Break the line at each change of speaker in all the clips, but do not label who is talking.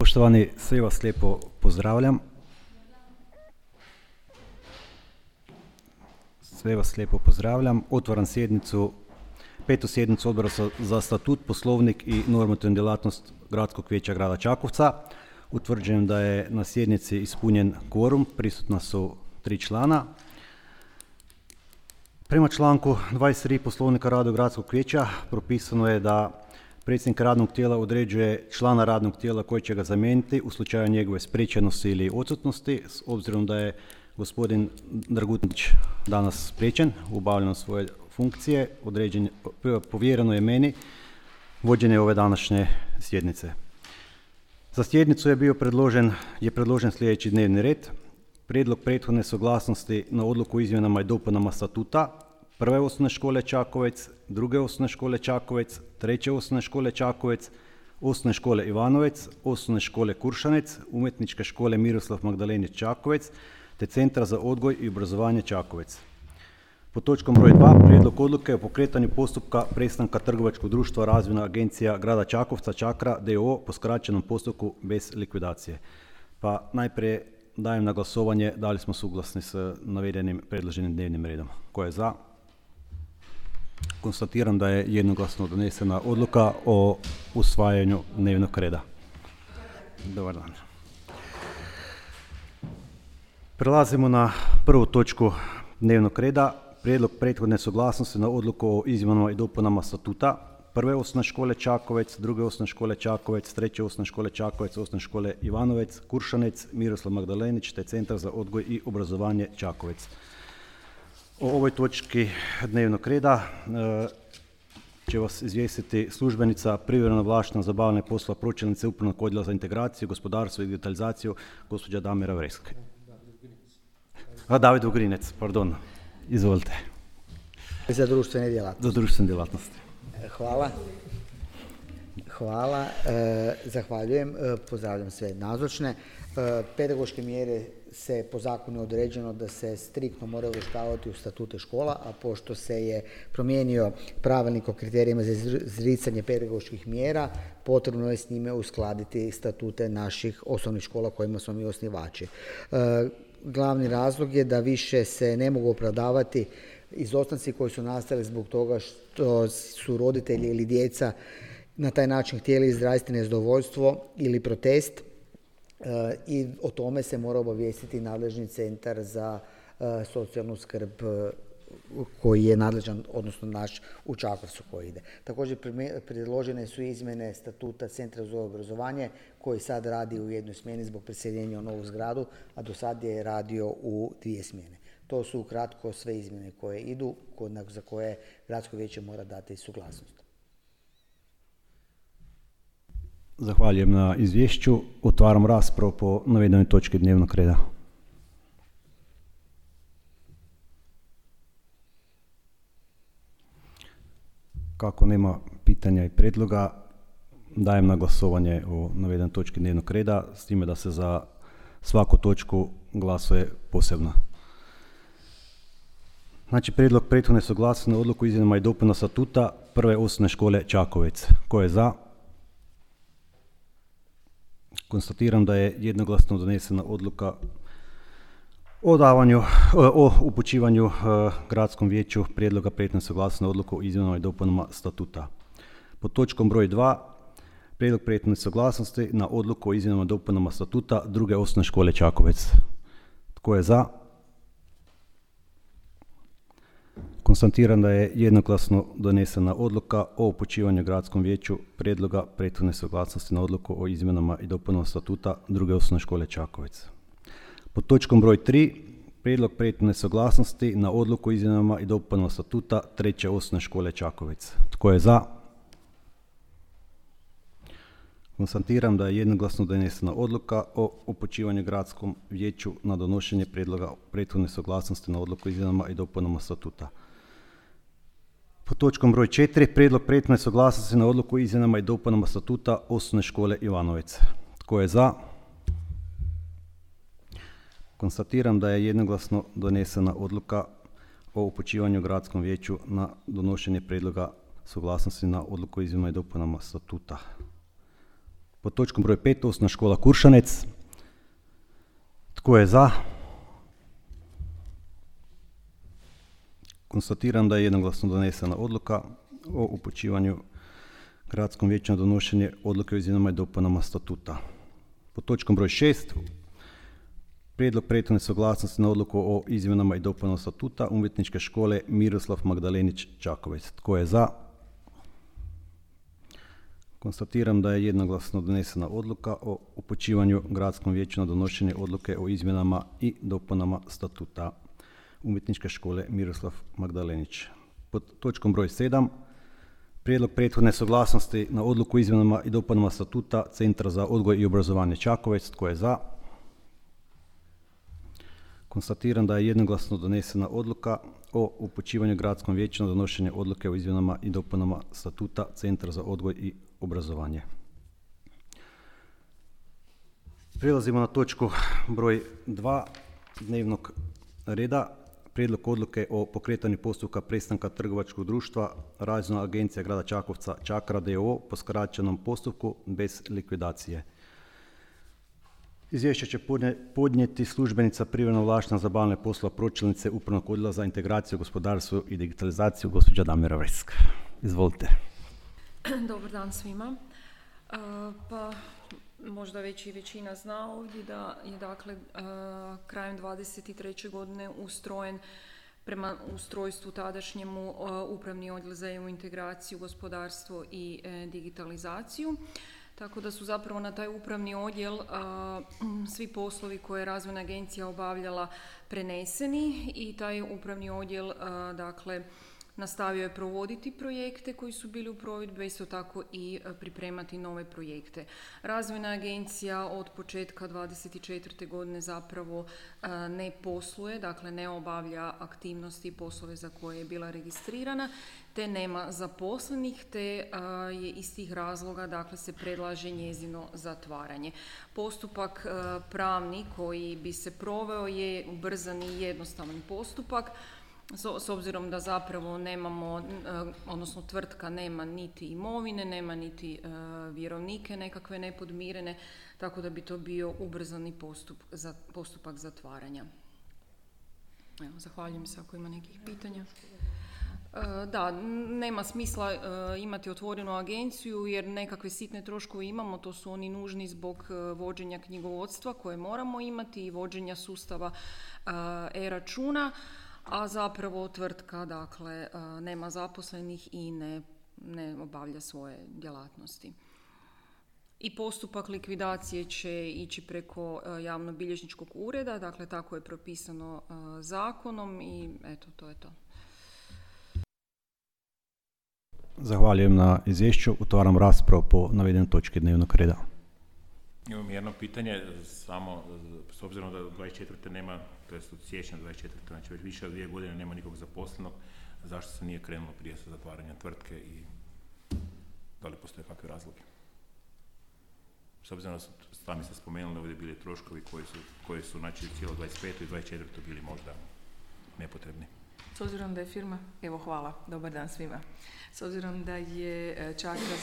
Poštovani, sve vas lijepo pozdravljam. Otvaram sjednicu, petu sjednicu Odbora za statut, poslovnik i normativnu djelatnost Gradskog vijeća grada Čakovca. Utvrđujem da je na sjednici ispunjen kvorum, prisutna su 3 člana. Prema članku 23 Poslovnika rada Gradskog vijeća propisano je da predsjednik radnog tijela određuje člana radnog tijela koji će ga zamijeniti u slučaju njegove spriječenosti ili odsutnosti. S obzirom da je gospodin Dragutnić danas spriječen u obavljanju svoje funkcije, povjereno je meni vođenje ove današnje sjednice. Za sjednicu je predložen sljedeći dnevni red. Prijedlog prethodne suglasnosti na odluku o izmjenama i dopunama statuta Prve osnovne škole Čakovec, Druge osnovne škole Čakovec, Treće osnovne škole Čakovec, Osnovne škole Ivanovec, Osnovne škole Kuršanec, Umjetničke škole Miroslav Magdalenić Čakovec te Centra za odgoj i obrazovanje Čakovec. Pod točkom broj 2 prijedlog odluke o pokretanju postupka prestanka trgovačkog društva Razvojna agencija grada Čakovca Čakra d.o.o. po skraćenom postupku bez likvidacije. Pa najprije dajem na glasovanje da li smo suglasni s navedenim predloženim dnevnim redom. Ko je za? Konstatiram da je jednoglasno donesena odluka o usvajanju dnevnog reda. Dobar dan. Prelazimo na prvu točku dnevnog reda. Prijedlog prethodne suglasnosti na odluku o izmjenama i dopunama statuta Prve osnovne škole Čakovec, Druge osnovne škole Čakovec, Treće osnovne škole Čakovec, Osnovne škole Ivanovec, Kuršanec, Miroslav Magdalenić te Centar za odgoj i obrazovanje Čakovec. O ovoj točki dnevnog reda će vas izvijestiti službenica privremeno ovlaštena za obavljanje poslova pročelnice Upravnog odjela za integraciju, gospodarstvo i digitalizaciju, gospođa Damira Vreska. David Ugrinec, pardon. Izvolite.
Za društvene djelatnosti.
Za društvene djelatnosti.
Hvala. Zahvaljujem. Pozdravljam sve nazočne. Pedagoške mjere se po zakonu određeno da se striktno moraju uvrštavati u statute škola, a pošto se je promijenio pravilnik o kriterijima za izricanje pedagoških mjera, potrebno je s njime uskladiti statute naših osnovnih škola kojima smo mi osnivači. Glavni razlog je da više se ne mogu opravdavati izostanci koji su nastali zbog toga što su roditelji ili djeca na taj način htjeli izraziti nezadovoljstvo ili protest i o tome se mora obavijestiti nadležni centar za socijalnu skrb koji je nadležan, odnosno naš u Čakovcu koji ide. Također predložene su izmjene statuta Centra za obrazovanje koji sad radi u jednoj smjeni zbog preseljenja u novu zgradu, a do sad je radio u 2 smjene. To su ukratko sve izmjene koje idu, za koje Gradsko vijeće mora dati suglasnost.
Zahvaljujem na izvješću. Otvaram raspravu po navedenoj točki dnevnog reda. Kako nema pitanja i predloga, dajem na glasovanje o navedenoj točki dnevnog reda, s time da se za svaku točku glasuje posebno. Znači, prijedlog prethodne suglasnosti na odluku o izmjenama i dopunama statuta Prve osnovne škole Čakovec. Ko je za? Konstatiram da je jednoglasno donesena odluka o upućivanju Gradskom vijeću prijedloga prethodne suglasnosti na odluku o izmjenama i dopunama statuta. Pod točkom broj 2 prijedlog prethodne suglasnosti na odluku o izmjenama i dopunama statuta Druge osnovne škole Čakovec. Tko je za? Konstatiram da je jednoglasno donesena odluka o upućivanju Gradskom vijeću prijedloga prethodne suglasnosti na odluku o izmjenama i dopunama statuta Druge osnovne škole Čakovec. Pod točkom broj 3 prijedlog prethodne suglasnosti na odluku o izmjenama i dopunama statuta Treće osnovne škole Čakovec. Tko je za? Konstatiram da je jednoglasno donesena odluka o upućivanju Gradskom vijeću na donošenje prijedloga prethodne suglasnosti na odluku o izmjenama i dopunama statuta. Pod točkom broj 4 prijedlog prethodne suglasnosti na odluku o izmjenama i dopunama statuta Osnovne škole Ivanovec. Tko je za? Konstatiram da je jednoglasno donesena odluka o upućivanju Gradskom vijeću na donošenje prijedloga suglasnosti na odluku o izmjenama i dopunama statuta. Pod točkom broj 5, Osnovna škola Kuršanec. Tko je za? Konstatiram da je jednoglasno donesena odluka o upućivanju Gradskom vijeću na donošenje odluke o izmjenama i dopunama statuta. Pod točkom broj 6, prijedlog prethodne suglasnosti na odluku o izmjenama i dopunama statuta Umjetničke škole Miroslav Magdalenić Čakovec. Tko je za? Konstatiram da je jednoglasno donesena odluka o upućivanju Gradskom vijeću na donošenje odluke o izmjenama i dopunama statuta Umjetničke škole Miroslav Magdalenić. Pod točkom broj 7, prijedlog prethodne suglasnosti na odluku o izmjenama i dopunama statuta Centra za odgoj i obrazovanje Čakovec. Tko je za? Konstatiram da je jednoglasno donesena odluka o upućivanju Gradskom vijeću na donošenje odluke o izmjenama i dopunama statuta Centra za odgoj i obrazovanje. Prelazimo na točku broj 2 dnevnog reda. Prijedlog odluke o pokretanju postupka prestanka trgovačkog društva Razvojna agencija grada Čakovca Čakra d.o.o. po skraćenom postupku bez likvidacije. Izvješće će podnijeti službenica privremeno ovlaštena za obavljanje poslova pročelnice Upravnog odjela za integraciju, gospodarstvo i digitalizaciju, gospođa Damira Vresk. Izvolite.
Dobar dan svima. Pa možda već i većina zna ovdje da je dakle krajem 23. godine ustrojen prema ustrojstvu tadašnjemu Upravni odjel za EU integraciju, gospodarstvo i digitalizaciju. Tako da su zapravo na taj upravni odjel svi poslovi koje je Razvojna agencija obavljala preneseni i taj upravni odjel dakle nastavio je provoditi projekte koji su bili u provedbi, isto tako i pripremati nove projekte. Razvojna agencija od početka 24. godine zapravo ne posluje, dakle ne obavlja aktivnosti i poslove za koje je bila registrirana, te nema zaposlenih, te je iz tih razloga dakle se predlaže njezino zatvaranje. Postupak pravni koji bi se proveo je ubrzani i jednostavan postupak, s obzirom da zapravo nemamo, odnosno tvrtka nema niti imovine, nema niti vjerovnike nekakve nepodmirene, tako da bi to bio ubrzani postupak zatvaranja. Evo, zahvaljujem se ako ima nekih pitanja. Da, nema smisla imati otvorenu agenciju jer nekakve sitne troškove imamo, to su oni nužni zbog vođenja knjigovodstva koje moramo imati i vođenja sustava e-računa, a zapravo tvrtka dakle nema zaposlenih i ne obavlja svoje djelatnosti. I postupak likvidacije će ići preko javnobilježničkog ureda, dakle tako je propisano zakonom i eto, to je to.
Zahvaljujem na izvješću. Otvaram raspravu po navedenoj točki dnevnog reda.
Imam jedno pitanje, samo s obzirom da 24. nema, to jest od siječnja 24. znači već više od 2 godine nema nikog zaposlenog, zašto se nije krenulo prije sa zatvaranjem tvrtke i da li postoje kakve razloge? S obzirom da su, sami ste spomenuli, ovdje bili troškovi koji su znači cijelo 25. i 24. bili možda nepotrebni.
S obzirom da je firma, evo hvala, dobar dan svima. S obzirom da je Čakra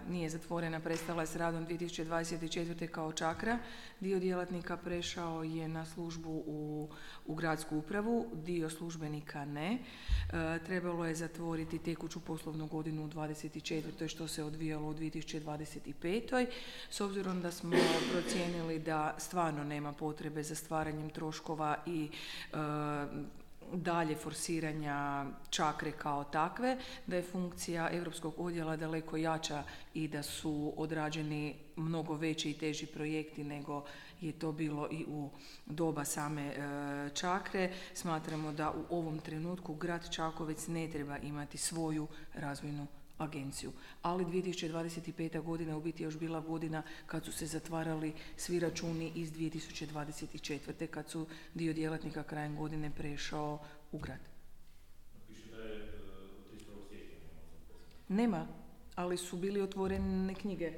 nije zatvorena, prestala je s radom 2024. kao Čakra, dio djelatnika prešao je na službu u gradsku upravu, dio službenika ne. Trebalo je zatvoriti tekuću poslovnu godinu u 2024. što se odvijalo u 2025. S obzirom da smo procijenili da stvarno nema potrebe za stvaranjem troškova i dalje forsiranja Čakre kao takve, da je funkcija Europskog odjela daleko jača i da su odrađeni mnogo veći i teži projekti nego je to bilo i u doba same Čakre. Smatramo da u ovom trenutku grad Čakovec ne treba imati svoju razvojnu agenciju. Ali 2025. godina u biti još bila godina kad su se zatvarali svi računi iz 2024. kad su dio djelatnika krajem godine prešao u grad.
Piše da je 31. siječnja.
Nema, ali su bili otvorene knjige.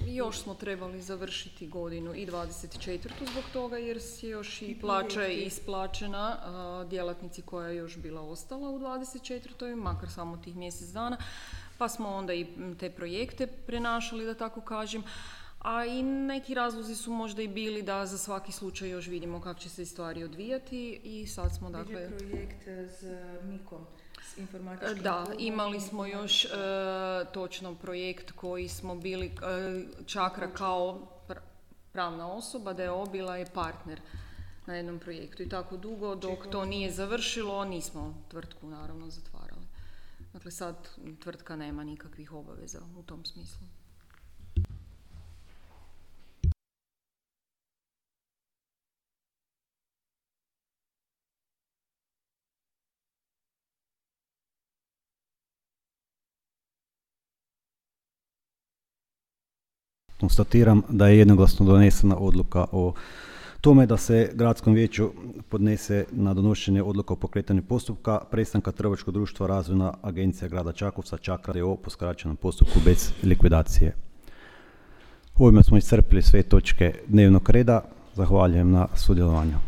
Još smo trebali završiti godinu i 24. zbog toga jer je još i plaća isplaćena djelatnici koja je još bila ostala u 24. makar samo tih mjesec dana. pa smo onda i te projekte prenašali, da tako kažem. A i neki razlozi su možda i bili da za svaki slučaj još vidimo kako će se stvari odvijati i sad smo dakle...
projekt s MIK-om, s informatičkim
Da,
klubom.
imali smo još točno projekt koji smo bili Čakra kao pravna osoba, da je bila je partner na jednom projektu i tako dugo dok to nije završilo nismo tvrtku naravno zatvarali. Dakle sad tvrtka nema nikakvih obaveza u tom smislu.
Konstatiram da je jednoglasno donesena odluka o tome da se gradskom vijeću podnese na donošenje odluka o pokretanju postupka prestanka trgovačkog društva Razvojna agencija grada Čakovca Čakra d.o.o. po skraćenom postupku bez likvidacije. Ovime smo iscrpili sve točke dnevnog reda. Zahvaljujem na sudjelovanju.